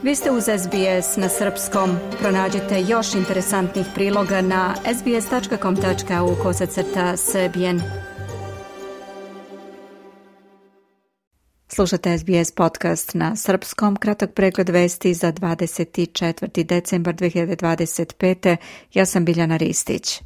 Vi ste uz SBS na srpskom. Pronađite još interesantnih priloga na sbs.com.au/srbijen. Slušate SBS podcast na srpskom. Kratak pregled vesti za 24. decembar 2025. Ja sam Biljana Ristić.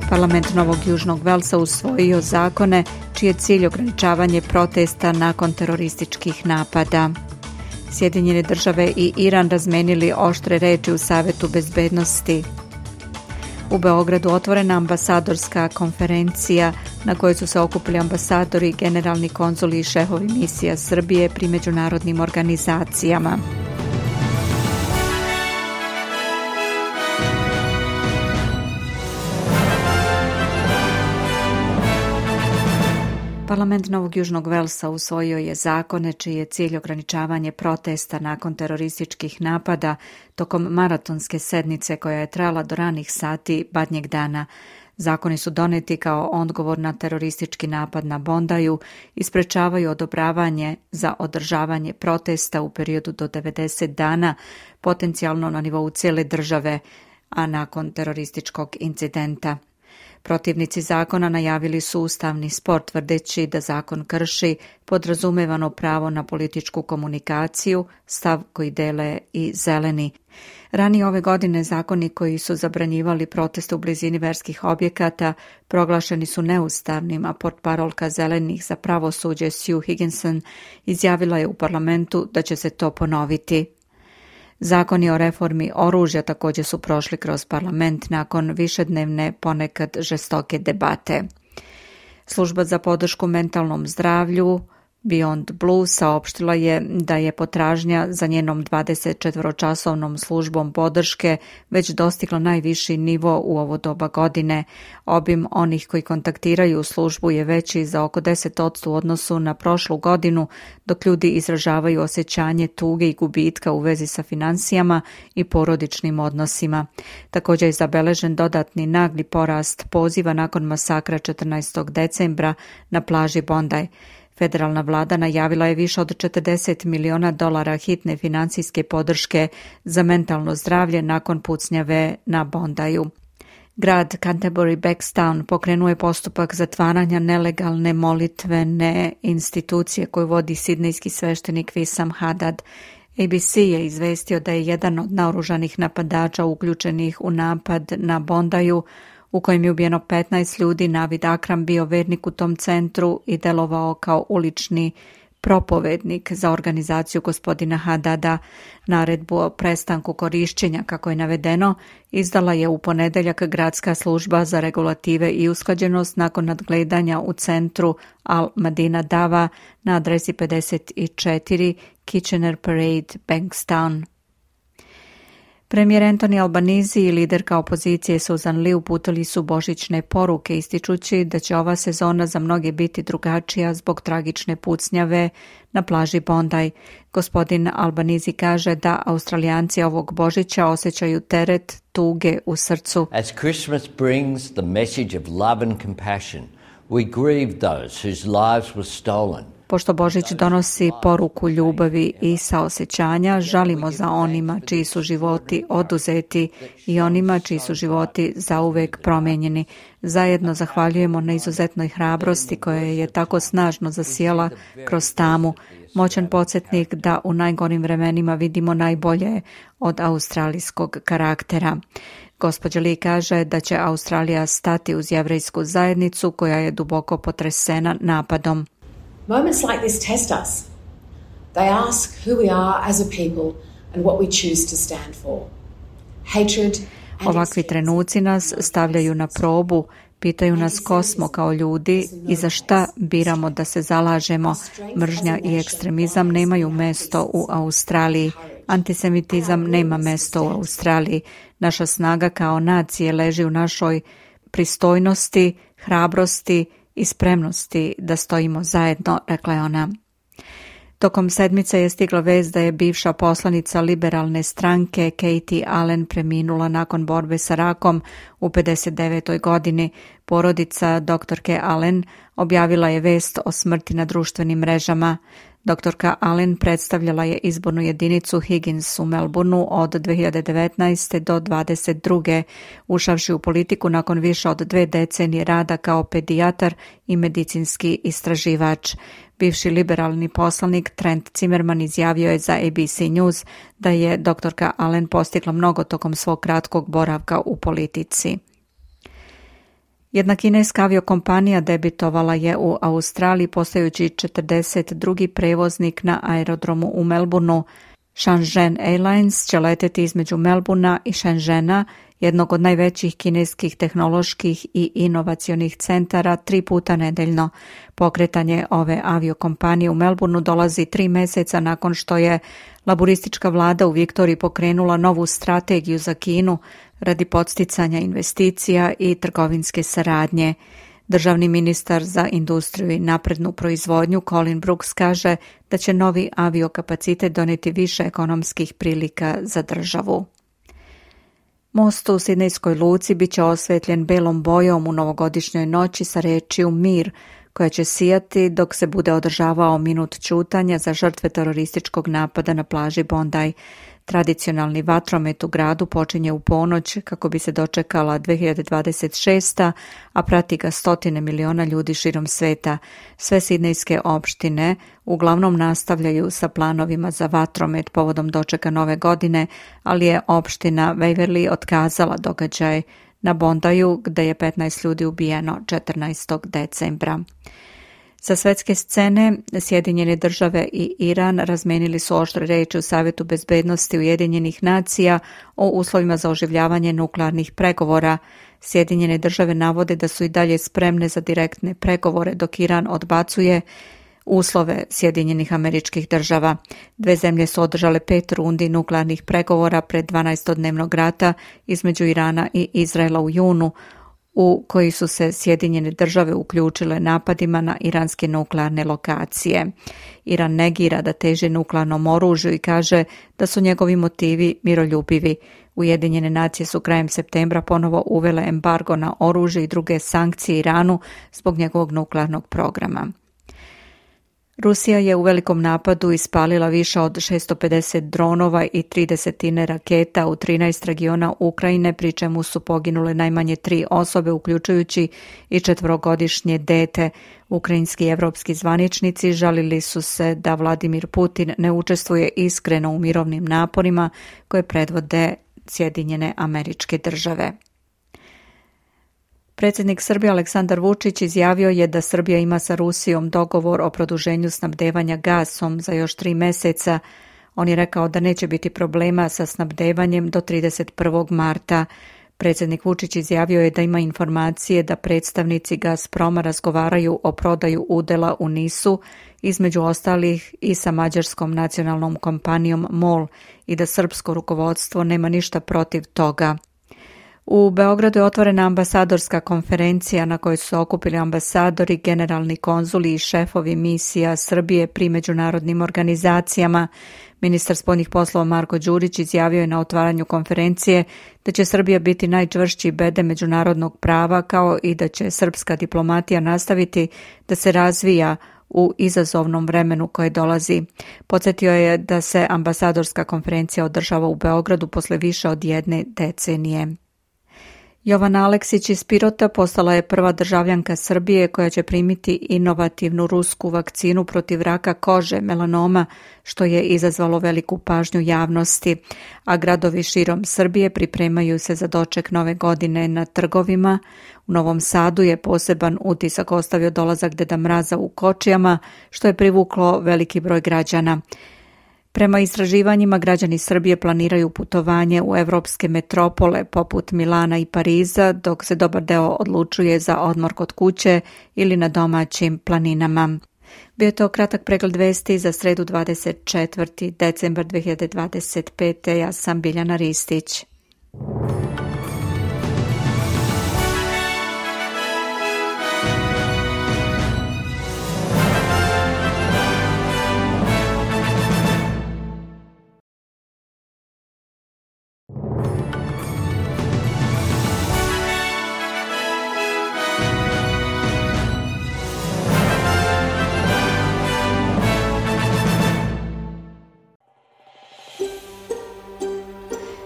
Parlament Novog Južnog Velsa usvojio zakone čiji je cilj ograničavanje protesta nakon terorističkih napada. Sjedinjene države i Iran razmenili oštre reči u Savetu bezbednosti. U Beogradu otvorena ambasadorska konferencija na kojoj su se okupili ambasadori, generalni konzuli i šefovi misija Srbije pri međunarodnim organizacijama. Parlament Novog Južnog Velsa usvojio je zakone čiji je cilj ograničavanje protesta nakon terorističkih napada tokom maratonske sednice koja je trajala do ranih sati badnjeg dana. Zakoni su doneti kao odgovor na teroristički napad na Bondaju i sprečavaju odobravanje za održavanje protesta u periodu do 90 dana, potencijalno na nivou cijele države, a nakon terorističkog incidenta. Protivnici zakona najavili su ustavni spor tvrdeći da zakon krši podrazumevano pravo na političku komunikaciju, stav koji dele i zeleni. Ranije ove godine zakoni koji su zabranjivali proteste u blizini verskih objekata proglašeni su neustavnim, a portparolka zelenih za pravosuđe Sue Higginson izjavila je u parlamentu da će se to ponoviti. Zakoni o reformi oružja također su prošli kroz parlament nakon višednevne, ponekad žestoke debate. Služba za podršku mentalnom zdravlju Beyond Blue saopštila je da je potražnja za njenom 24-časovnom službom podrške već dostigla najviši nivo u ovo doba godine. Obim onih koji kontaktiraju službu je veći za oko 10% u odnosu na prošlu godinu, dok ljudi izražavaju osjećanje tuge i gubitka u vezi sa financijama i porodičnim odnosima. Također je zabeležen dodatni nagli porast poziva nakon masakra 14. decembra na plaži Bondi. Federalna vlada najavila je više od $40 miliona hitne financijske podrške za mentalno zdravlje nakon pucnjave na Bondaju. Grad Canterbury Bankstown pokrenuo je postupak zatvaranja nelegalne molitvene institucije koju vodi sidnejski sveštenik Wissam Haddad. ABC je izvestio da je jedan od naoružanih napadača uključenih u napad na Bondaju u kojem je ubijeno 15 ljudi, Navid Akram bio vernik u tom centru i delovao kao ulični propovednik za organizaciju gospodina Haddada. Naredbu o prestanku korišćenja, kako je navedeno, izdala je u ponedjeljak Gradska služba za regulative i usklađenost nakon nadgledanja u centru Al Madina Dava na adresi 54 Kitchener Parade, Bankstown. Premijer Anthony Albanese i liderka opozicije Susan Lee uputili su božićne poruke ističući da će ova sezona za mnoge biti drugačija zbog tragične pucnjave na plaži Bondi. Gospodin Albanese kaže da Australijanci ovog Božića osjećaju teret tuge u srcu. As Christmas brings the message of love and compassion, we grieve those whose lives were stolen. Pošto Božić donosi poruku ljubavi i saosećanja, žalimo za onima čiji su životi oduzeti i onima čiji su životi zauvek promijenjeni. Zajedno zahvaljujemo na izuzetnoj hrabrosti koja je tako snažno zasijala kroz tamu, moćan podsjetnik da u najgorim vremenima vidimo najbolje od australijskog karaktera. Gospođa Lee kaže da će Australija stati uz jevrejsku zajednicu koja je duboko potresena napadom. Moments like this test us. They ask who we are as a people and what we choose to stand for. Hatred. Ovakvi trenuci nas stavljaju na probu, pitaju nas ko smo kao ljudi i za šta biramo da se zalažemo. Mržnja i ekstremizam nemaju mesto u Australiji. Antisemitizam nema mesto u Australiji. Naša snaga kao nacije leži u našoj pristojnosti, hrabrosti i spremnosti da stojimo zajedno, rekla je ona. Tokom sedmice je stigla vest da je bivša poslanica liberalne stranke Katie Allen preminula nakon borbe sa rakom u 59. godini. Porodica doktorke Allen objavila je vest o smrti na društvenim mrežama. Doktorka Allen predstavljala je izbornu jedinicu Higgins u Melbourneu od 2019. do 2022. ušavši u politiku nakon više od 2 decenije rada kao pedijatar i medicinski istraživač. Bivši liberalni poslanik Trent Zimmerman izjavio je za ABC News da je doktorka Allen postigla mnogo tokom svog kratkog boravka u politici. Jedna kineska aviokompanija debitovala je u Australiji postajući 42. prevoznik na aerodromu u Melbourneu. Shenzhen Airlines će leteti između Melbournea i Shenzhena, jednog od najvećih kineskih tehnoloških i inovacionih centara, 3 puta nedeljno. Pokretanje ove aviokompanije u Melbourneu dolazi 3 meseca nakon što je laburistička vlada u Viktoriji pokrenula novu strategiju za Kinu radi podsticanja investicija i trgovinske saradnje. Državni ministar za industriju i naprednu proizvodnju Colin Brooks kaže da će novi aviokapacitet doneti više ekonomskih prilika za državu. Most u Sidnejskoj luci bit će osvetljen belom bojom u novogodišnjoj noći sa rečju mir, koja će sijati dok se bude održavao minut ćutanja za žrtve terorističkog napada na plaži Bondi. Tradicionalni vatromet u gradu počinje u ponoć kako bi se dočekala 2026. a prati ga 100 miliona ljudi širom sveta. Sve sidnejske opštine uglavnom nastavljaju sa planovima za vatromet povodom dočeka nove godine, ali je opština Waverley otkazala događaj na Bondiju gde je 15 ljudi ubijeno 14. decembra. Sa svetske scene, Sjedinjene države i Iran razmenili su oštre reči u Savjetu bezbednosti Ujedinjenih nacija o uslovima za oživljavanje nuklearnih pregovora. Sjedinjene države navode da su i dalje spremne za direktne pregovore, dok Iran odbacuje uslove Sjedinjenih Američkih Država. 2 zemlje su održale 5 rundi nuklearnih pregovora pred 12-dnevnog rata između Irana i Izraela u junu, u koji su se Sjedinjene države uključile napadima na iranske nuklearne lokacije. Iran negira da teži nuklearnom oružju i kaže da su njegovi motivi miroljubivi. Ujedinjene nacije su krajem septembra ponovo uvele embargo na oružje i druge sankcije Iranu zbog njegovog nuklearnog programa. Rusija je u velikom napadu ispalila više od 650 dronova i 30 raketa u 13 regiona Ukrajine, pri čemu su poginule najmanje 3 osobe, uključujući i 4-godišnje dete. Ukrajinski i evropski zvaničnici žalili su se da Vladimir Putin ne učestvuje iskreno u mirovnim naporima koje predvode Sjedinjene Američke Države. Predsjednik Srbije Aleksandar Vučić izjavio je da Srbija ima sa Rusijom dogovor o produženju snabdevanja gasom za još 3 meseca. On je rekao da neće biti problema sa snabdevanjem do 31. marta. Predsjednik Vučić izjavio je da ima informacije da predstavnici Gazproma razgovaraju o prodaju udjela u NIS-u, između ostalih i sa mađarskom nacionalnom kompanijom MOL, i da srpsko rukovodstvo nema ništa protiv toga. U Beogradu je otvorena ambasadorska konferencija na kojoj su se okupili ambasadori, generalni konzuli i šefovi misija Srbije pri međunarodnim organizacijama. Ministar spoljnih poslova Marko Đurić izjavio je na otvaranju konferencije da će Srbija biti najčvršći bedem međunarodnog prava, kao i da će srpska diplomatija nastaviti da se razvija u izazovnom vremenu koje dolazi. Podsjetio je da se ambasadorska konferencija održava u Beogradu posle više od 1 decenije. Jovana Aleksić iz Pirota postala je prva državljanka Srbije koja će primiti inovativnu rusku vakcinu protiv raka kože, melanoma, što je izazvalo veliku pažnju javnosti, a gradovi širom Srbije pripremaju se za doček nove godine na trgovima. U Novom Sadu je poseban utisak ostavio dolazak Deda Mraza u kočijama, što je privuklo veliki broj građana. Prema istraživanjima, građani Srbije planiraju putovanje u evropske metropole poput Milana i Pariza, dok se dobar deo odlučuje za odmor kod kuće ili na domaćim planinama. Bio je to kratak pregled vesti za sredu 24. decembar 2025. Ja sam Biljana Ristić.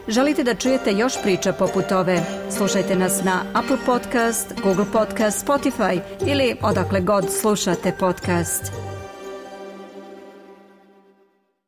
Želite da čujete još priča poput ove? Slušajte nas na Apple Podcast, Google Podcast, Spotify ili odakle god slušate podcast.